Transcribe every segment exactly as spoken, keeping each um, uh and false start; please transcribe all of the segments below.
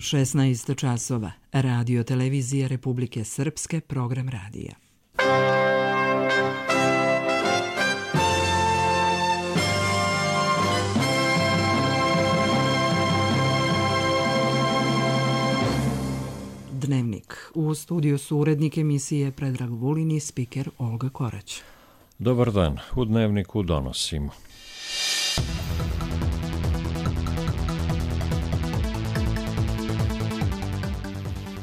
šesnaest časova. Radio televizija Republike Srpske, program radija. Dnevnik. U studiju su urednik emisije Predrag Vulin i spiker Olga Korać. Dobar dan. U Dnevniku donosimo.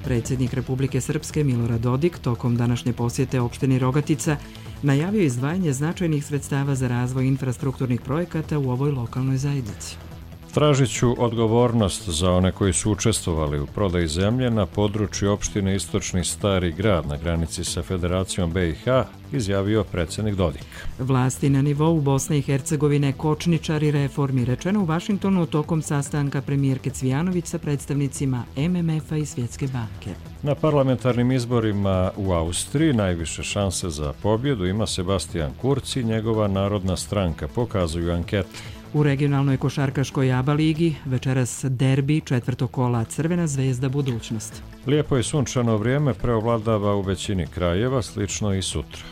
Predsjednik Republike Srpske Milorad Dodik tokom današnje posjete opštini Rogatica najavio izdvajanje značajnih sredstava za razvoj infrastrukturnih projekata u ovoj lokalnoj zajednici. Tražit ću odgovornost za one koji su učestvovali u prodaji zemlje na području opštine Istočni Stari Grad na granici sa Federacijom B i H, izjavio predsjednik Dodik. Vlasti na nivou Bosne i Hercegovine kočničari reformi, rečeno u Vašingtonu tokom sastanka premijerke Cvijanović sa predstavnicima M M F-a i Svjetske banke. Na parlamentarnim izborima u Austriji najviše šanse za pobjedu ima Sebastian Kurz i njegova Narodna stranka, pokazuju ankete. U regionalnoj košarkaškoj A B A ligi večeras derbi četvrtog kola Crvena zvezda budućnost. Lijepo i sunčano vrijeme preovladava u većini krajeva, slično i sutra.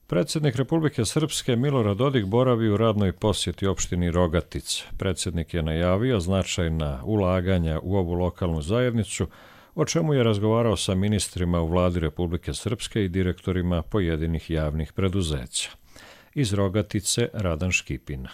Predsjednik Republike Srpske Milorad Dodik boravi u radnoj posjeti opštini Rogatica. Predsjednik je najavio značajna ulaganja u ovu lokalnu zajednicu, o čemu je razgovarao sa ministrima u vladi Republike Srpske i direktorima pojedinih javnih preduzeća. Iz Rogatice Radan Škipina.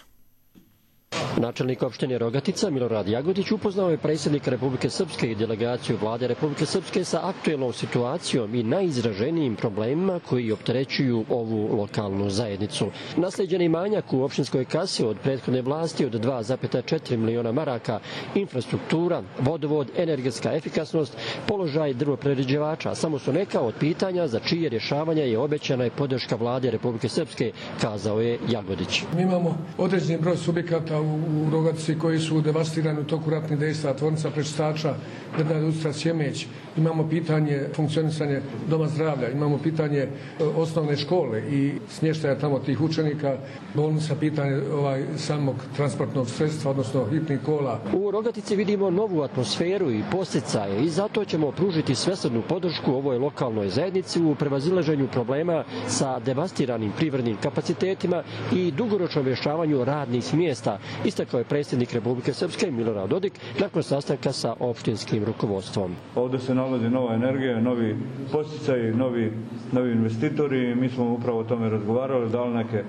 Načelnik opštine Rogatica Milorad Jagodić upoznao je predsjednika Republike Srpske i delegaciju vlade Republike Srpske sa aktuelnom situacijom i najizraženijim problemima koji opterećuju ovu lokalnu zajednicu. Naslijeđeni manjak u opštinskoj kasi od prethodne vlasti od dva zarez četiri miliona maraka, infrastruktura, vodovod, energetska efikasnost, položaj drvoprerađivača samo su neka od pitanja za čije rješavanje je obećana i podrška vlade Republike Srpske, kazao je Jagodić. Mi imamo određeni broj subjekata u u Rogatici koji su devastirani u toku ratnih dejstva, tvornica prečistača, drvna industrija Sjemeć. Imamo pitanje funkcionisanja doma zdravlja, imamo pitanje osnovne škole i smještaja tamo tih učenika, bolnica, pitanje ovaj, samog transportnog sredstva, odnosno hitnih kola. U Rogatici vidimo novu atmosferu i posticaje i zato ćemo pružiti svesrdnu podršku ovoj lokalnoj zajednici u prevazilaženju problema sa devastiranim privrednim kapacitetima i dugoročnom rješavanju radnih mjesta, istakao je predsjednik Republike Srpske Milorad Dodik nakon sastanka sa opštinskim rukovodstvom. Ovdje se nalazi nova energija, novi posticaji, novi, novi investitori. Mi smo upravo o tome razgovarali, dali neke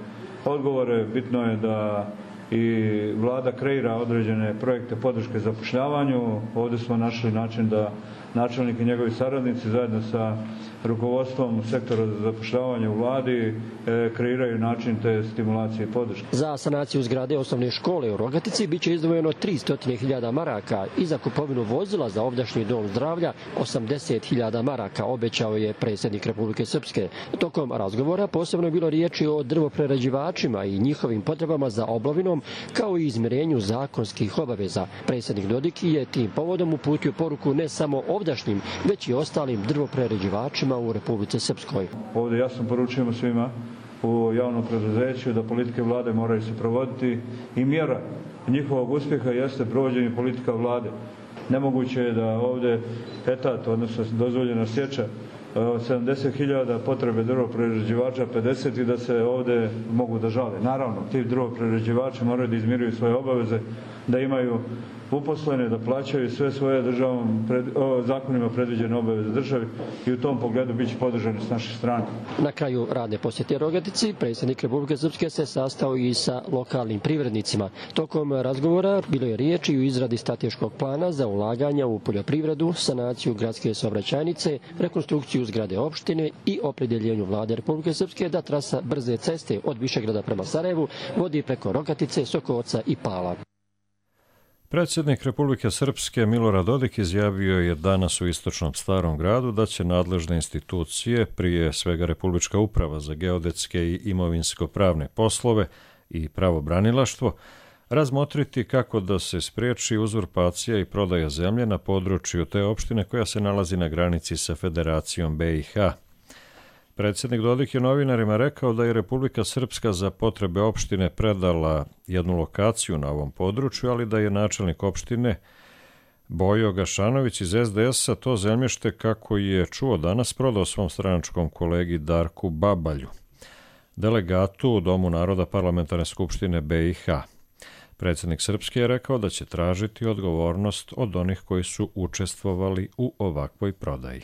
odgovore. Bitno je da i vlada kreira određene projekte podrške zapošljavanju. Ovdje smo našli način da načelnik i njegovi saradnici zajedno sa rukovodstvom sektora za zapošljavanje u vladi e, kreiraju način te stimulacije i podrške. Za sanaciju zgrade osnovne škole u Rogatici biće izdvojeno tristo hiljada maraka i za kupovinu vozila za ovdašnji dom zdravlja osamdeset hiljada maraka, obećao je predsjednik Republike Srpske. Tokom razgovora posebno je bilo riječi o drvoprerađivačima i njihovim potrebama za obnovinom, kao i izmirenju zakonskih obaveza. Predsjednik Dodik je tim povodom uputio poruku ne samo ovdašnjim, već i ostalim drvoprerađivačima u Republici Srpskoj. Ovdje jasno poručujemo svima u javnom preduzeću da politike vlade moraju se provoditi i mjera njihovog uspjeha jeste provođenje politika vlade. Nemoguće je da ovdje etat, odnosno dozvoljena sječa od sedamdeset hiljada potrebe drvoprerađivača, pedeset i da se ovdje mogu da žale. Naravno, ti drvoprerađivači moraju da izmiruju svoje obaveze, da imaju uposlene, da plaćaju sve svoje državom, pred, o, zakonima predviđene obaveze državi i u tom pogledu bit će podržani s naše strane. Na kraju radne posjete Rogatici, predsjednik Republike Srpske se sastao i sa lokalnim privrednicima. Tokom razgovora bilo je riječi i o izradi strateškog plana za ulaganja u poljoprivredu, sanaciju gradske saobraćajnice, rekonstrukciju zgrade opštine i opredjeljenju vlade Republike Srpske da trasa brze ceste od Višegrada prema Sarajevu vodi preko Rogatice, Sokovca i Pala. Predsjednik Republike Srpske Milorad Dodik izjavio je danas u Istočnom Starom Gradu da će nadležne institucije, prije svega Republička uprava za geodetske i imovinsko-pravne poslove i pravobranilaštvo, razmotriti kako da se spriječi uzurpacija i prodaja zemlje na području te opštine koja se nalazi na granici sa Federacijom B i H. Predsjednik Dodik je novinarima rekao da je Republika Srpska za potrebe opštine predala jednu lokaciju na ovom području, ali da je načelnik opštine Bojo Gašanović iz es de es a to zemljište, kako je čuo danas, prodao svom stranačkom kolegi Darku Babalju, delegatu u Domu naroda Parlamentarne skupštine be i ha. Predsjednik Srpske je rekao da će tražiti odgovornost od onih koji su učestvovali u ovakvoj prodaji.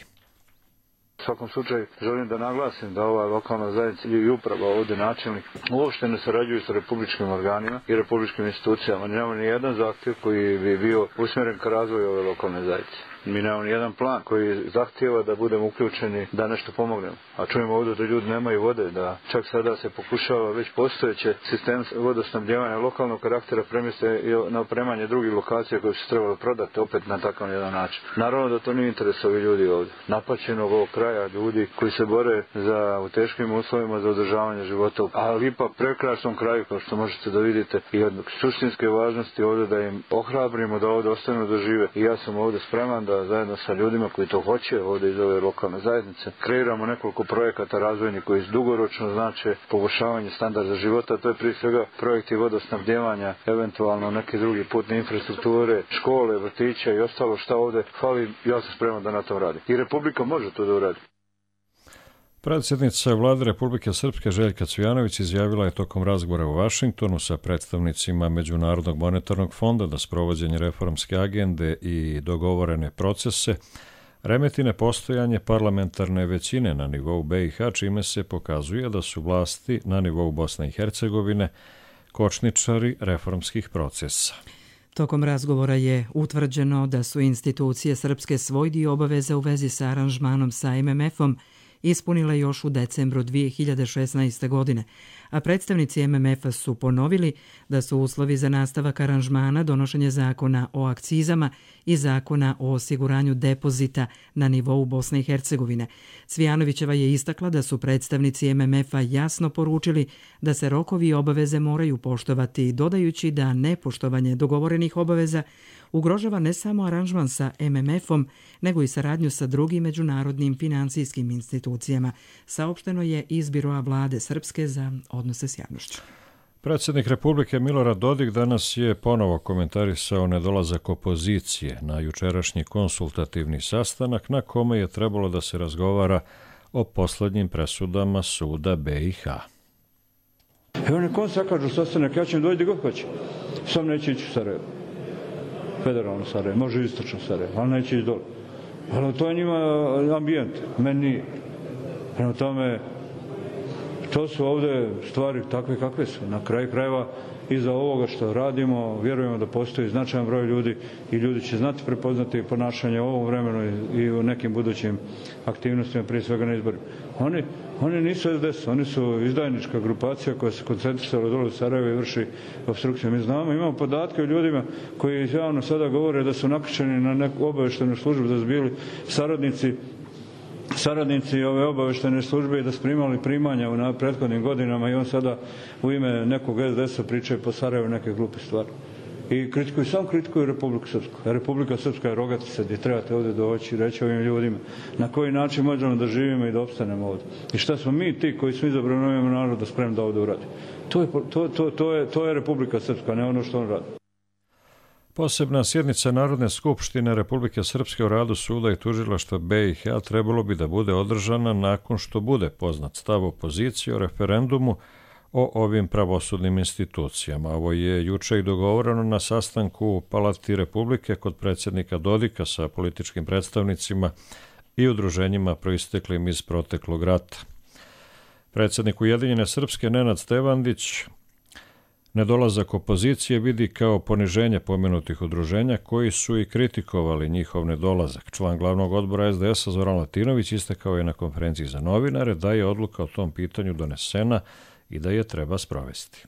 U svakom slučaju želim da naglasim da ova lokalna zajednica i uprava ovdje načelnik uopšte ne sarađuju sa republičkim organima i republičkim institucijama. Nemamo ni jedan zahtjev koji bi bio usmjeren ka razvoju ove lokalne zajednice. Mi nemamo ni jedan plan koji zahtijeva da budemo uključeni da nešto pomognemo. A čujemo ovdje da ljudi nemaju vode, da čak sada se pokušava već postojeće sistem vodosnabdjevanja lokalnog karaktera premjeste na opremanje drugih lokacija koje su trebalo prodati opet na takav jedan način. Naravno da to nije interes ovih ljudi ovdje. Napaćenog ovog kraja ljudi koji se bore za, u teškim uslovima za održavanje života. Ali ipak prekrasnom kraju, kao što možete da vidite, i od suštinske važnosti ovdje da im ohrabrimo da ovdje ostanu da žive. I ja sam ovdje spreman da zajedno sa ljudima koji to hoće ovdje iz ove lokalne zajednice kreiramo nekoliko projekata razvojnih koji dugoročno znače poboljšavanje standarda života. To je prije svega projekti vodosnabdjevanja, eventualno neke druge putne infrastrukture, škole, vrtića i ostalo šta ovdje fali. Ja sam spreman da na tom radi. I Republika može to da uradi. Predsjednica Vlade Republike Srpske Željka Cvijanović izjavila je tokom razgovora u Vašingtonu sa predstavnicima Međunarodnog monetarnog fonda da sprovođenje reformske agende i dogovorene procese remeti nepostojanje parlamentarne većine na nivou be i ha, čime se pokazuje da su vlasti na nivou Bosne i Hercegovine kočničari reformskih procesa. Tokom razgovora je utvrđeno da su institucije Srpske svoj dio obaveza u vezi sa aranžmanom sa em em efom ispunila još u decembru dvije hiljade šesnaeste. godine, a predstavnici em em efa su ponovili da su uslovi za nastavak aranžmana donošenje zakona o akcizama i zakona o osiguranju depozita na nivou Bosne i Hercegovine. Cvijanovićeva je istakla da su predstavnici em em efa jasno poručili da se rokovi i obaveze moraju poštovati, dodajući da nepoštovanje dogovorenih obaveza ugrožava ne samo aranžman sa em em efom, nego i saradnju sa drugim međunarodnim finansijskim institucijama, saopšteno je iz Biroa vlade Srpske za odnose s javnošću. Predsjednik Republike Milorad Dodik danas je ponovo komentarisao nedolazak opozicije na jučerašnji konsultativni sastanak na kome je trebalo da se razgovara o poslednjim presudama suda be i ha. Evo nekom sakažu sastanak, ja ću im dojde god hoće. Sam neće ići u Sarajevo. Federalno Sarajevo, može istočno Sarajevo, ali neće ići dole. Ali to je njima ambijent, meni nije. Prema tome, to su ovdje stvari takve kakve su. Na kraju krajeva, iza ovoga što radimo, vjerujemo da postoji značajan broj ljudi i ljudi će znati prepoznati ponašanje u ovom vremenu i u nekim budućim aktivnostima, prije svega na izborima. Oni, oni nisu es de es, oni su izdajnička grupacija koja se koncentrisala dole u Sarajevo i vrši obstrukciju. Mi znamo, imamo podatke o ljudima koji javno sada govore da su nakačeni na neku obaveštenu službu, da su bili saradnici saradnici ove obaveštene službe i da su primali primanja u prethodnim godinama i on sada u ime nekog es de esa pričaju po Sarajevu neke glupe stvari. I kritikuju, sam kritikuju Republiku Srpsku. Republika Srpska je rogatica gdje trebate ovdje doći i reći ovim ljudima na koji način možemo da živimo i da opstanemo ovdje. I šta smo mi ti koji smo izabrani ovim narodom spremni da ovdje uradi. To je, to, to, to, je, to je Republika Srpska, ne ono što on radi. Posebna sjednica Narodne skupštine Republike Srpske o radu suda i tužilaštva be i ha trebalo bi da bude održana nakon što bude poznat stav opozicije o referendumu o ovim pravosudnim institucijama. Ovo je juče i dogovoreno na sastanku u Palati Republike kod predsjednika Dodika sa političkim predstavnicima i udruženjima proisteklim iz proteklog rata. Predsjednik Ujedinjene Srpske Nenad Stevandić nedolazak opozicije vidi kao poniženje pomenutih udruženja koji su i kritikovali njihov nedolazak. Član glavnog odbora es de esa Zoran Latinović istakao je na konferenciji za novinare da je odluka o tom pitanju donesena i da je treba sprovesti.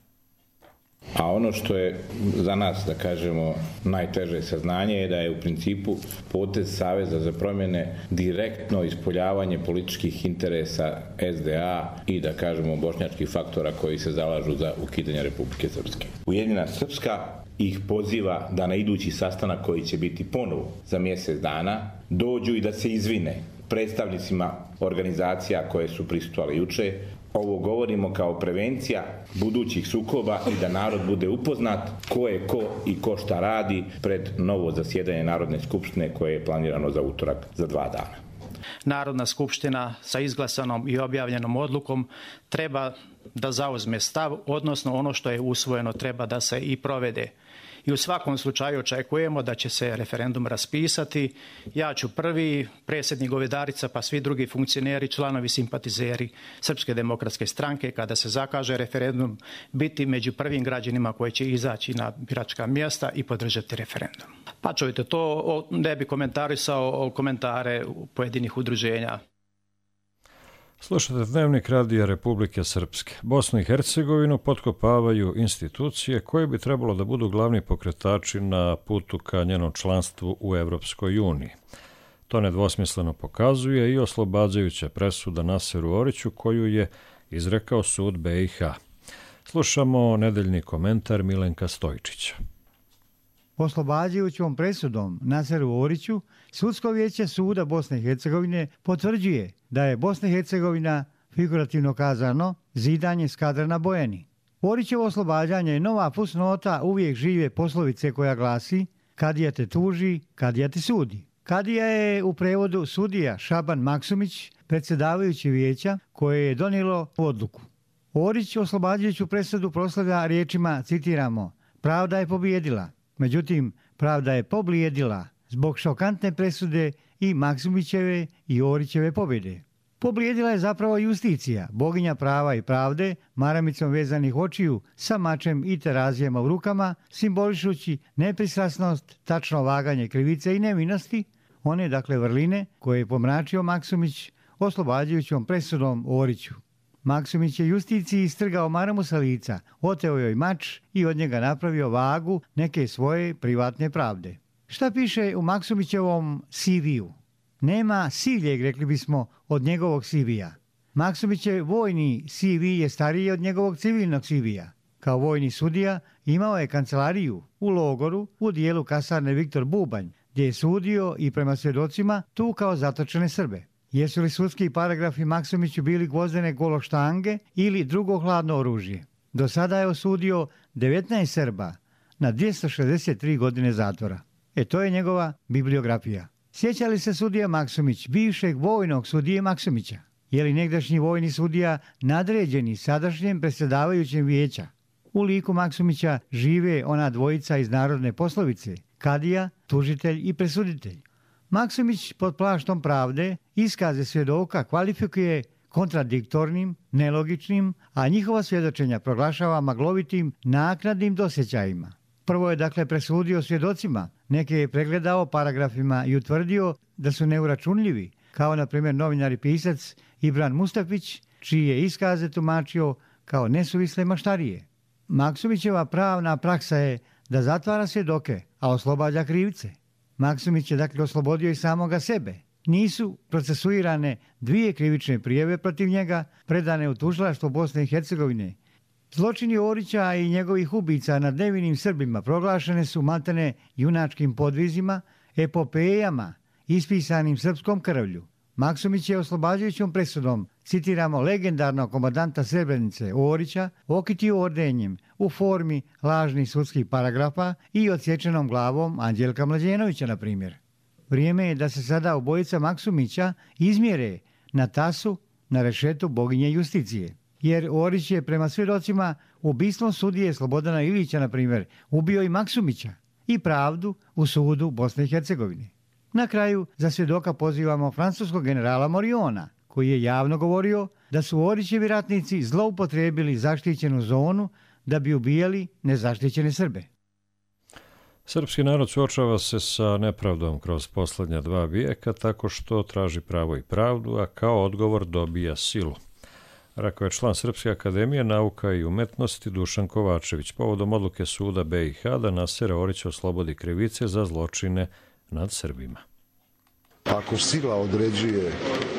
A ono što je za nas, da kažemo, najteže saznanje je da je u principu potez Saveza za promjene direktno ispoljavanje političkih interesa es de a i, da kažemo, bošnjačkih faktora koji se zalažu za ukidanje Republike Srpske. Ujedinjena Srpska ih poziva da na idući sastanak koji će biti ponovo za mjesec dana dođu i da se izvine predstavnicima organizacija koje su prisustvovale juče. Ovo govorimo kao prevencija budućih sukoba i da narod bude upoznat ko je ko i ko šta radi pred novo zasjedanje Narodne skupštine koje je planirano za utorak za dva dana. Narodna skupština sa izglasanom i objavljenom odlukom treba da zauzme stav, odnosno ono što je usvojeno treba da se i provede. I u svakom slučaju očekujemo da će se referendum raspisati. Ja ću prvi, predsjednik Govedarica, pa svi drugi funkcioneri, članovi, simpatizeri Srpske demokratske stranke, kada se zakaže referendum, biti među prvim građanima koji će izaći na biračka mjesta i podržati referendum. Pa čujte, to ne bi komentarisao komentare pojedinih udruženja. Slušate Dnevnik Radija Republike Srpske. Bosnu i Hercegovinu potkopavaju institucije koje bi trebalo da budu glavni pokretači na putu ka njenom članstvu u Evropskoj uniji. To nedvosmisleno pokazuje i oslobađajuća presuda Naseru Oriću koju je izrekao sud B i H. Slušamo nedeljni komentar Milenka Stojčića. Oslobađajućom presudom Naseru Oriću, Sudsko vijeće suda Bosne i Hercegovine potvrđuje da je Bosna i Hercegovina, figurativno kazano, zidanje skadra na Bojani. Orićevo oslobađanje je nova fusnota uvijek žive poslovice koja glasi kadija te tuži, kadija te sudi. Kadija je u prevodu sudija Šaban Maksumić, predsjedavajući vijeća koje je donijelo odluku. Orić oslobađajuću presudu proslavlja riječima, citiramo, pravda je pobijedila. Međutim, pravda je poblijedila zbog šokantne presude i Maksumićeve i Orićeve pobjede. Poblijedila je zapravo justicija, boginja prava i pravde, maramicom vezanih očiju, sa mačem i terazijama u rukama, simbolišući nepristrasnost, tačno vaganje krivice i nevinosti, one dakle vrline koje je pomračio Maksumić oslobađajućom presudom Oriću. Maksumić je justiciji istrgao maramu sa lica, oteo joj mač i od njega napravio vagu neke svoje privatne pravde. Šta piše u Maksumićevom C V-u? Nema sivljeg, rekli bismo, od njegovog C V-a. Maksumićev vojni C V je stariji od njegovog civilnog C V-a. Kao vojni sudija imao je kancelariju u logoru u dijelu kasarne Viktor Bubanj, gdje je sudio i prema svjedocima tukao zatočene Srbe. Jesu li sudski paragrafi Maksumiću bili gvozdene gološtange ili drugo hladno oružje? Do sada je osudio devetnaest Srba na dvjesto šezdeset tri godine zatvora. E to je njegova bibliografija. Sjeća li se sudija Maksumić bivšeg vojnog sudije Maksumića? Je li negdašnji vojni sudija nadređeni sadašnjem predsjedavajućem vijeća? U liku Maksumića žive ona dvojica iz narodne poslovice, kadija, tužitelj i presuditelj. Maksumić pod plaštom pravde iskaze svjedoka kvalifikuje kontradiktornim, nelogičnim, a njihova svjedočenja proglašava maglovitim naknadnim dosjećajima. Prvo je dakle presudio svjedocima, neke je pregledao paragrafima i utvrdio da su neuračunljivi, kao na primjer novinar i pisac Ibran Mustafić, čiji je iskaze tumačio kao nesuvisle maštarije. Maksumićeva pravna praksa je da zatvara svjedoke, a oslobađa krivce. Maksumić je dakle oslobodio i samoga sebe. Nisu procesuirane dvije krivične prijave protiv njega, predane u tužilaštvo Bosne i Hercegovine. Zločini Orića i njegovih ubica nad nevinim Srbima proglašene su maltene junačkim podvizima, epopejama, ispisanim srpskom krvlju. Maksumić je oslobađajućom presudom, citiramo legendarnog komandanta Srebrenice Orića, okitio ordenjem u formi lažnih sudskih paragrafa i odsječenom glavom Anđelka Mlađenovića, na primjer. Vrijeme je da se sada obojica Maksumića izmjere na tasu na rešetu boginje justicije. Jer Orić je prema svjedocima ubistvom sudije Slobodana Ilića, na primjer, ubio i Maksumića i pravdu u sudu Bosne i Hercegovine. Na kraju za svjedoka pozivamo francuskog generala Moriona, koji je javno govorio da su Orićevi ratnici zloupotrijebili zaštićenu zonu da bi ubijali nezaštićene Srbe. Srpski narod suočava se sa nepravdom kroz posljednja dva vijeka tako što traži pravo i pravdu, a kao odgovor dobija silu. Rekao je član Srpske akademije nauka i umetnosti Dušan Kovačević povodom odluke suda B i H da Nasera Orića oslobodi krivice za zločine nad Srbima. Ako sila određuje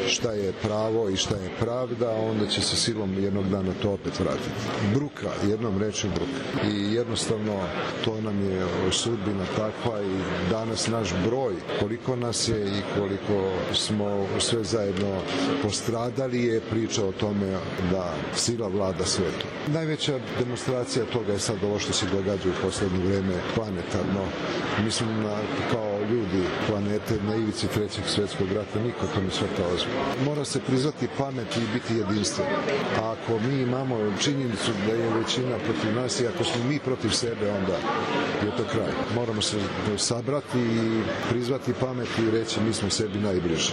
šta je pravo i šta je pravda, onda će se silom jednog dana to opet vratiti. Bruka, jednom rečju bruka. I jednostavno to nam je sudbina takva i danas naš broj, koliko nas je i koliko smo sve zajedno postradali, je priča o tome da sila vlada svetom. Najveća demonstracija toga je sad ovo što se događa u poslednje vreme planetarno. Mislim na, kao ljudi planete na ivici trećeg svjetskog rata, niko to ne shvata ozbiljno. Mora se prizvati pamet i biti jedinstven. A ako mi imamo činjenicu da je većina protiv nas i ako smo mi protiv sebe, onda je to kraj. Moramo se sabrati i prizvati pamet i reći mi smo sebi najbliži.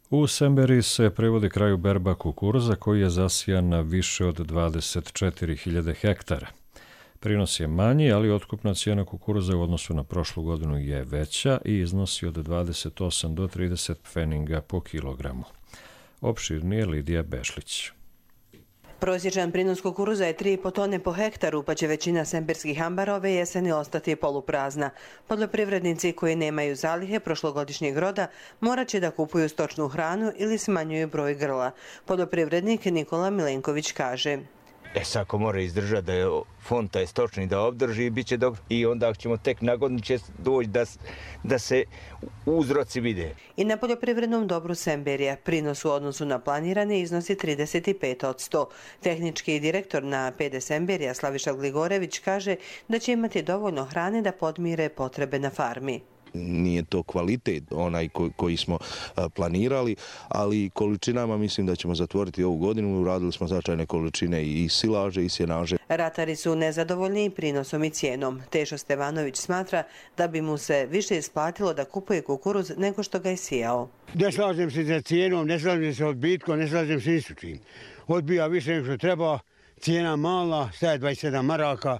U Semberiji se privodi kraju berba kukuruza koji je zasijan na više od dvadeset četiri hiljade hektara. Prinos je manji, ali otkupna cijena kukuruza u odnosu na prošlu godinu je veća i iznosi od dvadeset osam do trideset pfeninga po kilogramu. Opširnije Lidija Bešlić. Prosječan prinos kukuruza je tri i po tone po hektaru, pa će većina semberskih ambara ove jeseni ostati poluprazna. Poljoprivrednici koji nemaju zalihe prošlogodišnjeg roda morat će da kupuju stočnu hranu ili smanjuju broj grla. Poljoprivrednik Nikola Milenković kaže: E sad ako mora izdržati da je fond taj stočni da obdrži, bit će dobro. I onda ćemo tek na godinu će doći da, da se uzroci vide. I na poljoprivrednom dobru Semberija prinos u odnosu na planirane iznosi trideset pet posto. Tehnički direktor na P D Semberija Slaviša Gligorević kaže da će imati dovoljno hrane da podmire potrebe na farmi. Nije to kvalitet onaj koji smo planirali, ali količinama mislim da ćemo zatvoriti ovu godinu. Uradili smo značajne količine i silaže i sjenaže. Ratari su nezadovoljni prinosom i cijenom. Tešo Stevanović smatra da bi mu se više isplatilo da kupuje kukuruz nego što ga je sijao. Ne slažem se sa cijenom, ne slažem se sa odbitkom, ne slažem se s čim. Odbija više nego što treba, cijena mala, staje dvadeset sedam maraka,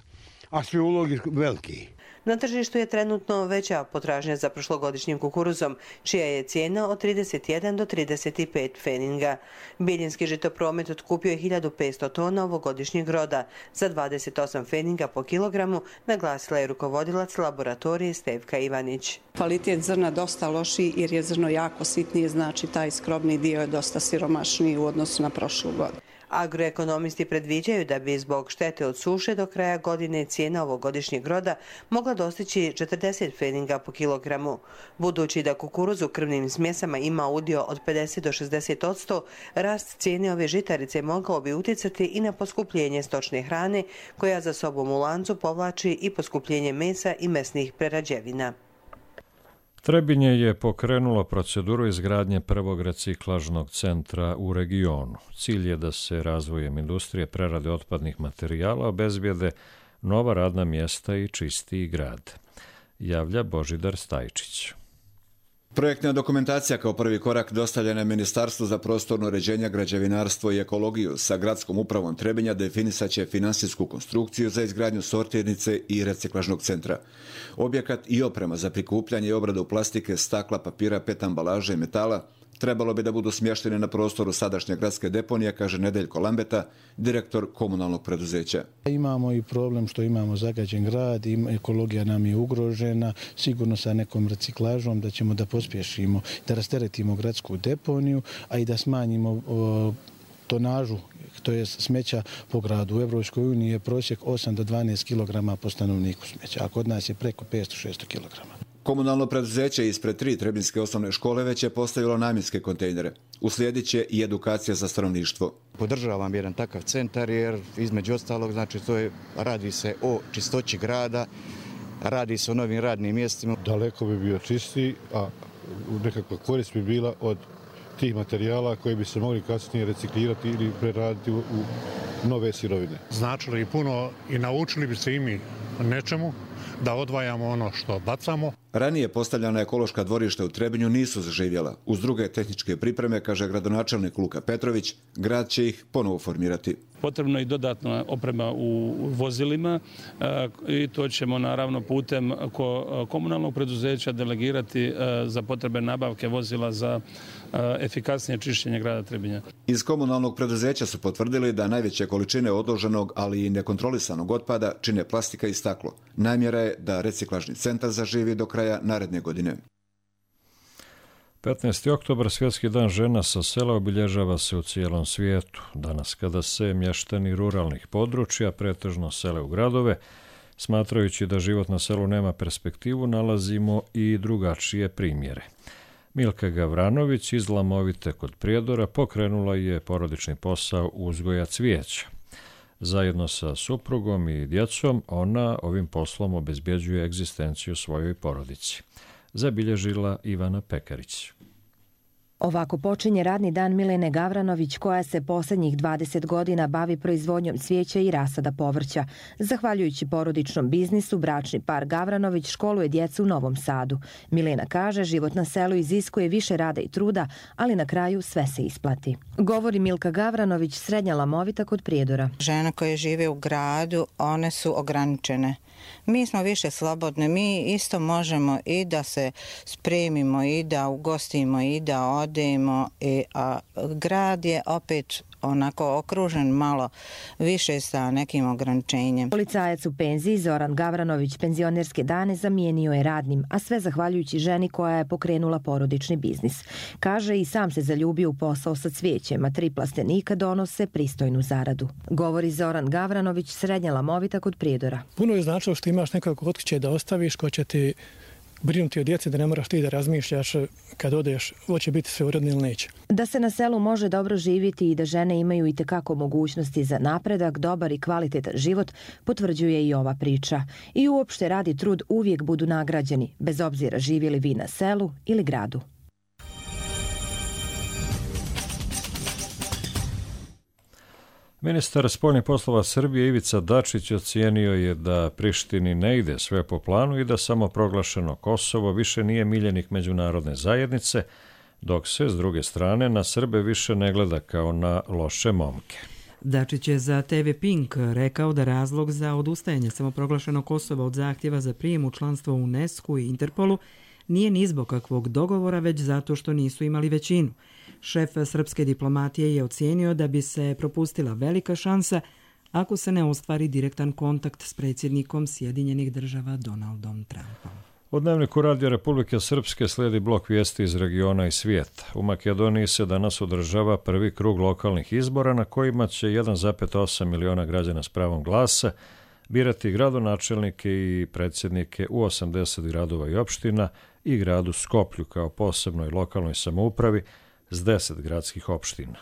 a svi ulogi veliki. Na tržištu je trenutno veća potražnja za prošlogodišnjim kukuruzom, čija je cijena od trideset jedan do trideset pet pfeninga. Biljinski žitopromet otkupio je hiljadu petsto tona ovogodišnjeg roda za dvadeset osam pfeninga po kilogramu, naglasila je rukovodilac laboratorije Stevka Ivanić. Kvalitet zrna dosta lošiji jer je zrno jako sitnije, znači taj skrobni dio je dosta siromašniji u odnosu na prošlu godinu. Agroekonomisti predviđaju da bi zbog štete od suše do kraja godine cijena ovogodišnjeg roda mogla dostići četrdeset pfeninga po kilogramu. Budući da kukuruz u krvnim smjesama ima udio od pedeset do šezdeset posto, rast cijene ove žitarice mogao bi utjecati i na poskupljenje stočne hrane, koja za sobom u lancu povlači i poskupljenje mesa i mesnih prerađevina. Trebinje je pokrenulo proceduru izgradnje prvog reciklažnog centra u regionu. Cilj je da se razvojem industrije prerade otpadnih materijala obezbijede nova radna mjesta i čistiji grad. Javlja Božidar Stajčić. Projektna dokumentacija kao prvi korak dostavljena je Ministarstvu za prostorno uređenje, građevinarstvo i ekologiju. Sa gradskom upravom Trebinja definisat će finansijsku konstrukciju za izgradnju sortirnice i reciklažnog centra. Objekat i oprema za prikupljanje i obradu plastike, stakla, papira, pet ambalaže i metala trebalo bi da budu smještene na prostoru sadašnje gradske deponije, kaže Nedeljko Lambeta, direktor komunalnog preduzeća. Imamo i problem što imamo zagađen grad, ekologija nam je ugrožena, sigurno sa nekom reciklažom da ćemo da pospješimo, da rasteretimo gradsku deponiju, a i da smanjimo o, tonažu, to je smeća po gradu. U Evropskoj uniji je prosjek osam do dvanaest kilograma po stanovniku smeća, a kod nas je preko petsto do šesto kilograma. Komunalno preduzeće ispred tri trebinske osnovne škole već je postavilo namjenske kontejnere. Uslijedit će i edukacija za stanovništvo. Podržavam jedan takav centar jer između ostalog znači to je, radi se o čistoći grada, radi se o novim radnim mjestima. Daleko bi bio čistiji, a nekakva korist bi bila od tih materijala koji bi se mogli kasnije reciklirati ili preraditi u, u nove sirovine. Značili i puno i naučili bi se i mi nečemu, da odvajamo ono što bacamo. Ranije postavljena ekološka dvorišta u Trebinju nisu zaživjela. Uz druge tehničke pripreme, kaže gradonačelnik Luka Petrović, grad će ih ponovo formirati. Potrebno je i dodatna oprema u vozilima i to ćemo naravno putem komunalnog preduzeća delegirati za potrebe nabavke vozila za efikasnije čišćenje grada Trebinja. Iz komunalnog preduzeća su potvrdili da najveće količine odloženog, ali i nekontrolisanog otpada čine plastika i staklo. Namjera namjera je da reciklažni centar zaživi do kraja naredne godine. petnaesti oktobar, Svjetski dan žena sa sela, obilježava se u cijelom svijetu. Danas kada se mještani ruralnih područja pretežno sele u gradove, smatrajući da život na selu nema perspektivu, nalazimo i drugačije primjere. Milka Gavranović iz Lamovite kod Prijedora pokrenula je porodični posao uzgoja cvijeća. Zajedno sa suprugom i djecom ona ovim poslom obezbjeđuje egzistenciju svojoj porodici. Zabilježila Ivana Pekarić. Ovako počinje radni dan Milene Gavranović, koja se posljednjih dvadeset godina bavi proizvodnjom cvijeća i rasada povrća. Zahvaljujući porodičnom biznisu, bračni par Gavranović školuje djecu u Novom Sadu. Milena kaže, život na selu iziskuje više rada i truda, ali na kraju sve se isplati. Govori Milka Gavranović, srednja Lamovita kod Prijedora. Žene koje žive u gradu, one su ograničene. Mi smo više slobodne, mi isto možemo i da se spremimo, i da ugostimo, i da odemo, i, a grad je opet onako okružen malo više sa nekim ograničenjem. Policajac u penziji Zoran Gavranović penzionerske dane zamijenio je radnim, a sve zahvaljujući ženi koja je pokrenula porodični biznis. Kaže, i sam se zaljubio u posao sa cvijećem, a tri plastenika donose pristojnu zaradu. Govori Zoran Gavranović, srednja Lamovita kod Prijedora. Puno je značilo što imaš nekog kod kuće da ostaviš, ko će ti brinuti o djeci, da ne moraš ti da razmišljaš kad odeš, hoće biti sve uredno ili neće. Da se na selu može dobro živjeti i da žene imaju i tekako mogućnosti za napredak, dobar i kvalitetan život, potvrđuje i ova priča. I uopšte rad i trud uvijek budu nagrađeni, bez obzira živjeli vi na selu ili gradu. Ministar spoljnih poslova Srbije Ivica Dačić ocijenio je da Prištini ne ide sve po planu i da samoproglašeno Kosovo više nije miljenik međunarodne zajednice, dok se, s druge strane, na Srbe više ne gleda kao na loše momke. Dačić je za te ve Pink rekao da razlog za odustajanje samoproglašenog Kosova od zahtjeva za prijem u članstvo u UNESCO i Interpolu nije ni zbog kakvog dogovora, već zato što nisu imali većinu. Šef srpske diplomatije je ocijenio da bi se propustila velika šansa ako se ne ostvari direktan kontakt s predsjednikom Sjedinjenih država Donaldom Trumpom. U Dnevniku Radija Republike Srpske slijedi blok vijesti iz regiona i svijeta. U Makedoniji se danas održava prvi krug lokalnih izbora na kojima će jedan zarez osam miliona građana s pravom glasa birati gradonačelnike i predsjednike u osamdeset gradova i opština i gradu Skoplju kao posebnoj lokalnoj samoupravi s deset gradskih opština.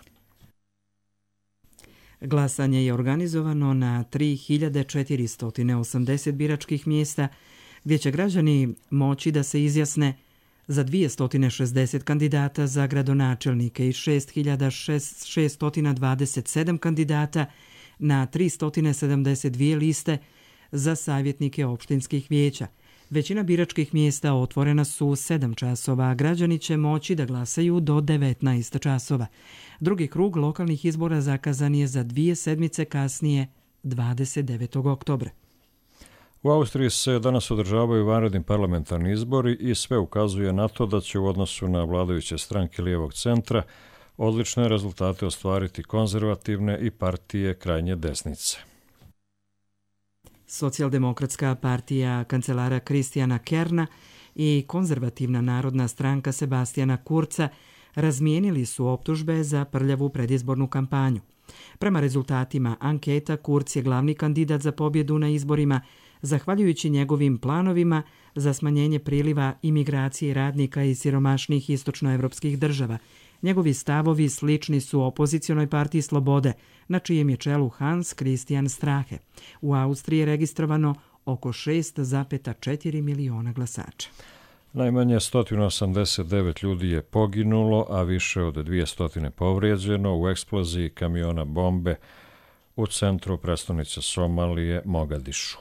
Glasanje je organizovano na tri hiljade četiristo osamdeset biračkih mjesta, gdje će građani moći da se izjasne za dvjesto šezdeset kandidata za gradonačelnike i šest hiljada šeststo dvadeset sedam kandidata na tristo sedamdeset dvije liste za savjetnike opštinskih vijeća. Većina biračkih mjesta otvorena su u sedam časova, a građani će moći da glasaju do devetnaest časova. Drugi krug lokalnih izbora zakazan je za dvije sedmice kasnije, dvadeset devetog oktobra. U Austriji se danas održavaju vanredni parlamentarni izbori i sve ukazuje na to da će u odnosu na vladajuće stranke lijevog centra odlične rezultate ostvariti konzervativne i partije krajnje desnice. Socijaldemokratska partija kancelara Kristijana Kerna i konzervativna narodna stranka Sebastijana Kurca razmijenili su optužbe za prljavu predizbornu kampanju. Prema rezultatima anketa, Kurz je glavni kandidat za pobjedu na izborima, zahvaljujući njegovim planovima za smanjenje priliva imigracije radnika iz siromašnih istočnoevropskih država. Njegovi stavovi slični su opozicionoj partiji Slobode, na čijem je čelu Hans Christian Strahe. U Austriji je registrovano oko šest zarez četiri miliona glasača. Najmanje sto osamdeset devet ljudi je poginulo, a više od dvjesto povrijeđeno u eksploziji kamiona bombe u centru prestonice Somalije, Mogadišu.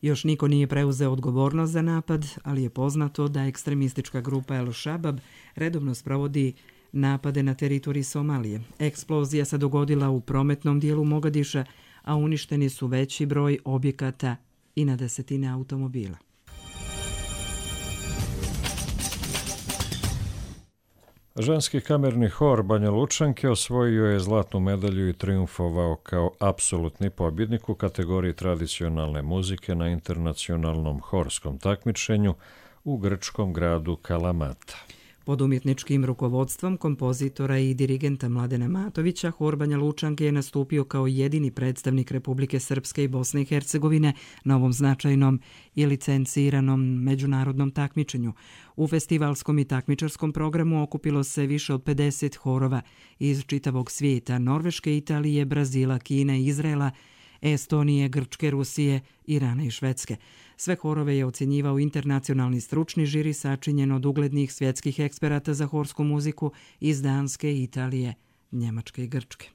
Još niko nije preuzeo odgovornost za napad, ali je poznato da ekstremistička grupa El Shabab redovno sprovodi napade na teritoriji Somalije. Eksplozija se dogodila u prometnom dijelu Mogadiša, a uništeni su veći broj objekata i na desetine automobila. Ženski kamerni hor Banja Lučanke osvojio je zlatnu medalju i triumfovao kao apsolutni pobjednik u kategoriji tradicionalne muzike na internacionalnom horskom takmičenju u grčkom gradu Kalamata. Pod umjetničkim rukovodstvom kompozitora i dirigenta Mladena Matovića, hor Banja Lučanke je nastupio kao jedini predstavnik Republike Srpske i Bosne i Hercegovine na ovom značajnom i licenciranom međunarodnom takmičenju. U festivalskom i takmičarskom programu okupilo se više od pedeset horova iz čitavog svijeta: Norveške, Italije, Brazila, Kine, Izraela, Estonije, Grčke, Rusije, Irana i Švedske. Sve horove je ocjenjivao internacionalni stručni žiri sačinjen od uglednih svjetskih eksperata za horsku muziku iz Danske, Italije, Njemačke i Grčke.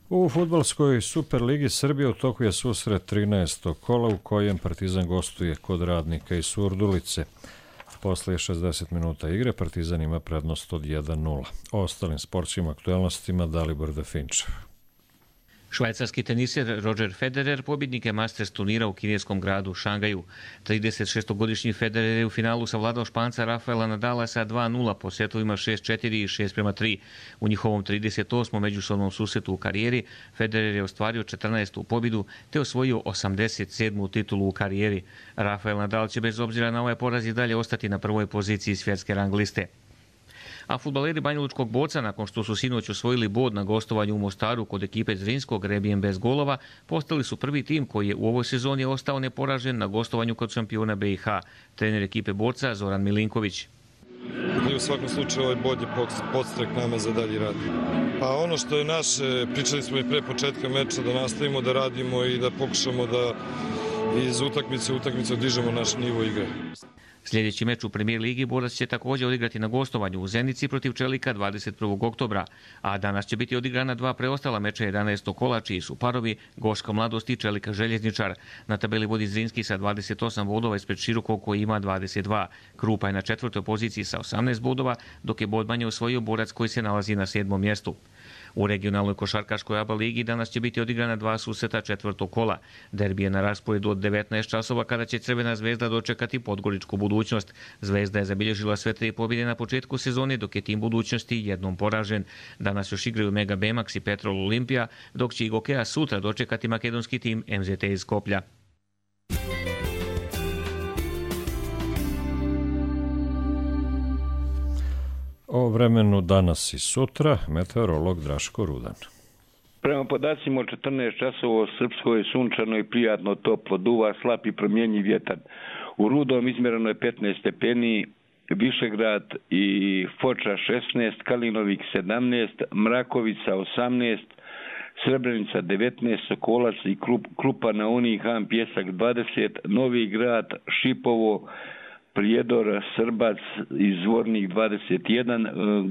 U fudbalskoj Superligi Srbije u toku je susret trinaestog kola u kojem Partizan gostuje kod Radnika iz Surdulice. Posle šezdeset minuta igre Partizan ima prednost od jedan nula. O ostalim sportskim aktualnostima Dalibor Definčev. Švajcarski teniser Roger Federer pobjednik je Masters turnira u kineskom gradu Šangaju. trideset šestogodišnji Federer je u finalu savladao Španca Rafaela Nadala sa dva nula po setovima šest četiri i šest prema tri. U njihovom trideset osmom međusobnom susretu u karijeri Federer je ostvario četrnaestu pobjedu te osvojio osamdeset sedmu titulu u karijeri. Rafael Nadal će bez obzira na ovaj poraz i dalje ostati na prvoj poziciji svjetske rang liste. A fudbaleri banjalučkog Boca, nakon što su sinoć osvojili bod na gostovanju u Mostaru kod ekipe Zrinskog rebijem bez golova, postali su prvi tim koji je u ovoj sezoni ostao neporažen na gostovanju kod šampiona B i H. Trener ekipe Borca Zoran Milinković. I u svakom slučaju ovaj bod je podstrek nama za dalji rad. Pa ono što je naše, pričali smo i pre početka meča, da nastavimo da radimo i da pokušamo da iz utakmice u utakmicu dižemo naš nivo igre. Sljedeći meč u Premijer ligi Borac će također odigrati na gostovanju u Zenici protiv Čelika dvadeset prvog oktobra, a danas će biti odigrana dva preostala meča jedanaestog kola, čiji su parovi Goška Mladost i Čelika Željezničar. Na tabeli vodi Zrinski sa dvadeset osam bodova ispred Širokog koji ima dvadeset dva. Krupa je na četvrtoj poziciji sa osamnaest bodova, dok je bod manje osvojio Borac koji se nalazi na sedmom mjestu. U regionalnoj košarkaškoj A B A ligi danas će biti odigrana dva susreta četvrtog kola. Derbi je na rasporedu od devetnaest časova kada će Crvena zvezda dočekati Podgoričku Budućnost. Zvezda je zabilježila sve tri pobjede na početku sezone, dok je tim Budućnosti jednom poražen. Danas još igraju Mega Bemax i Petrol Olimpija, dok će i Gokeja sutra dočekati makedonski tim M Z T iz Skoplja. O vremenu danas i sutra, meteorolog Draško Rudan. Prema podacima od četrnaest časova u Srpskoj je sunčano i prijatno toplo, duva slab i promjenjiv vjetar. U Rudom izmjereno je petnaest stepeni, Višegrad i Foča šesnaest, Kalinovik sedamnaest, Mrakovica osamnaest, Srebrenica devetnaest, Sokolac i Krupa na Uni, Han Pjesak dvadeset, Novi Grad, Šipovo, Prijedor, Srbac i Zvornik dvadeset jedan,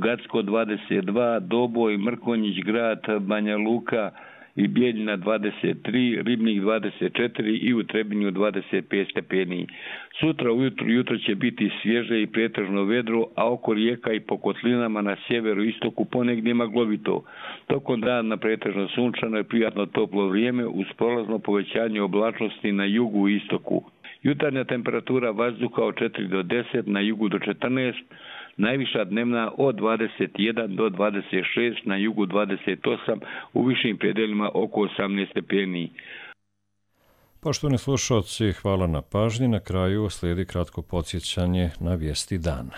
Gacko dvadeset dva, Doboj, Mrkonjić grad, Banja Luka i Bijeljina dvadeset tri, Ribnik dvadeset četiri i u Trebinju dvadeset pet stepeni. Sutra ujutru jutro će biti svježe i pretežno vedro, a oko rijeka i po kotlinama na sjeveru i istoku ponegdje maglovito. Tokom dana pretežno sunčano i prijatno toplo vrijeme uz prolazno povećanje oblačnosti na jugu i istoku. Jutarnja temperatura vazduha od četiri do deset, na jugu do četrnaest, najviša dnevna od dvadeset jedan do dvadeset šest, na jugu dvadeset osam, u višim predelima oko osamnaest stepeni. Poštovani slušalci, hvala na pažnji. Na kraju slijedi kratko podsjećanje na vijesti dana.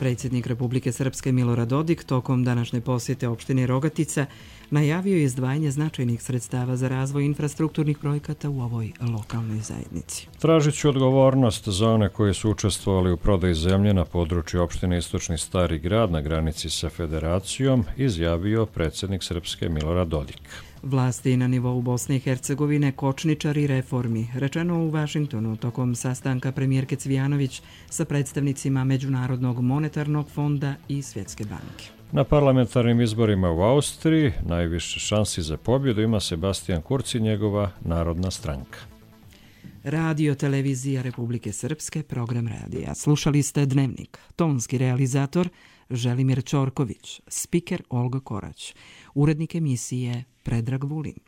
Predsjednik Republike Srpske Milorad Dodik tokom današnje posjete opštine Rogatica najavio je izdvajanje značajnih sredstava za razvoj infrastrukturnih projekata u ovoj lokalnoj zajednici. Tražit ću odgovornost za one koji su učestvovali u prodaji zemlje na području opštine Istočni Stari Grad na granici sa Federacijom, izjavio predsjednik Srpske Milorad Dodik. Vlasti na nivou Bosne i Hercegovine kočničari reformi, rečeno u Vašingtonu tokom sastanka premijerke Cvijanović sa predstavnicima Međunarodnog monetarnog fonda i Svjetske banke. Na parlamentarnim izborima u Austriji najviše šansi za pobjedu ima Sebastian Kurz i njegova Narodna stranka. Radio Televizija Republike Srpske, program radija. Slušali ste Dnevnik. Tonski realizator Želimir Ćorković, spiker Olga Korać, urednik emisije Predrag Vulin.